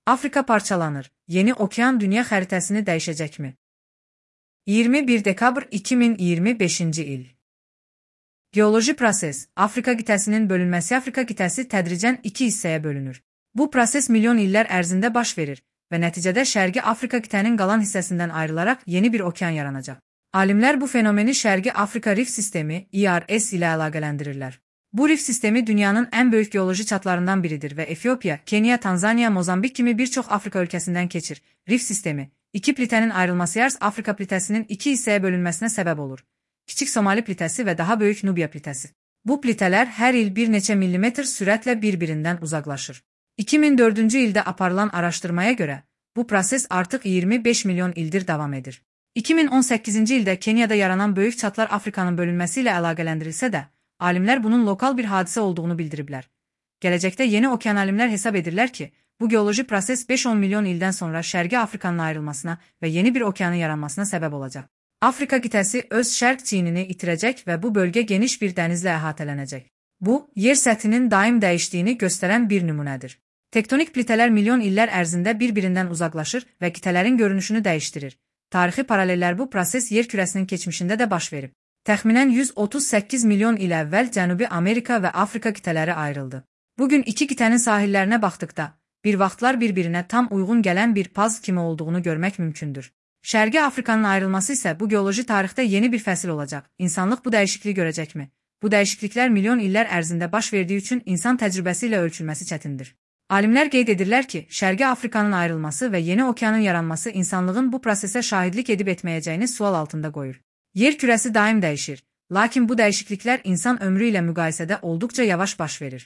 Afrika parçalanır. Yeni okean dünya xəritəsini dəyişəcəkmi? 21 dekabr 2025-ci il. Geoloji proses, Afrika qitəsinin bölünməsi. Afrika qitəsi tədricən iki hissəyə bölünür. Bu proses milyon illər ərzində baş verir və nəticədə Şərqi Afrika qitənin qalan hissəsindən ayrılaraq yeni bir okean yaranacaq. Alimlər bu fenomeni Şərqi Afrika Rif Sistemi (ERS) ilə əlaqələndirirlər. Bu rif sistemi dünyanın ən böyük geoloji çatlarından biridir və Efiopiya, Kenya, Tanzaniya, Mozambik kimi bir çox Afrika ölkəsindən keçir. Rif sistemi, iki plitənin ayrılması Yars Afrika plitəsinin iki hissəyə bölünməsinə səbəb olur. Kiçik Somali plitəsi və daha böyük Nubiya plitəsi. Bu plitələr hər il bir neçə millimetr sürətlə bir-birindən uzaqlaşır. 2004-cü ildə aparılan araşdırmaya görə, bu proses artıq 25 milyon ildir davam edir. 2018-ci ildə Kenyada yaranan böyük çatlar Afrikanın bölünməsi ilə əlaqələndirilsə də, alimlər bunun lokal bir hadisə olduğunu bildiriblər. Gələcəkdə yeni okean alimlər hesab edirlər ki, bu geoloji proses 5-10 milyon ildən sonra Şərqi Afrikanın ayrılmasına və yeni bir okeanın yaranmasına səbəb olacaq. Afrika qitəsi öz şərq çiynini itirəcək və bu bölgə geniş bir dənizlə əhatələnəcək. Bu, yer səthinin daim dəyişdiyini göstərən bir nümunədir. Tektonik plitələr milyon illər ərzində bir-birindən uzaqlaşır və qitələrin görünüşünü dəyişdirir. Tarixi paralellər bu proses yer kürəsinin keçmişində də baş verib. Təxminən 138 milyon il əvvəl Cənubi Amerika və Afrika qitələri ayrıldı. Bugün iki qitənin sahillərinə baxdıqda, bir vaxtlar bir-birinə tam uyğun gələn bir puzzle kimi olduğunu görmək mümkündür. Şərqi Afrikanın ayrılması isə bu geoloji tarixdə yeni bir fəsil olacaq. İnsanlıq bu dəyişikliyi görəcəkmi? Bu dəyişikliklər milyon illər ərzində baş verdiyi üçün insan təcrübəsi ilə ölçülməsi çətindir. Alimlər qeyd edirlər ki, Şərqi Afrikanın ayrılması və yeni okeanın yaranması insanlığın bu prosesə şahidlik edib etməyəcəyini sual altında qoyur. Yer kürəsi daim dəyişir, lakin bu dəyişikliklər insan ömrü ilə müqayisədə olduqca yavaş baş verir.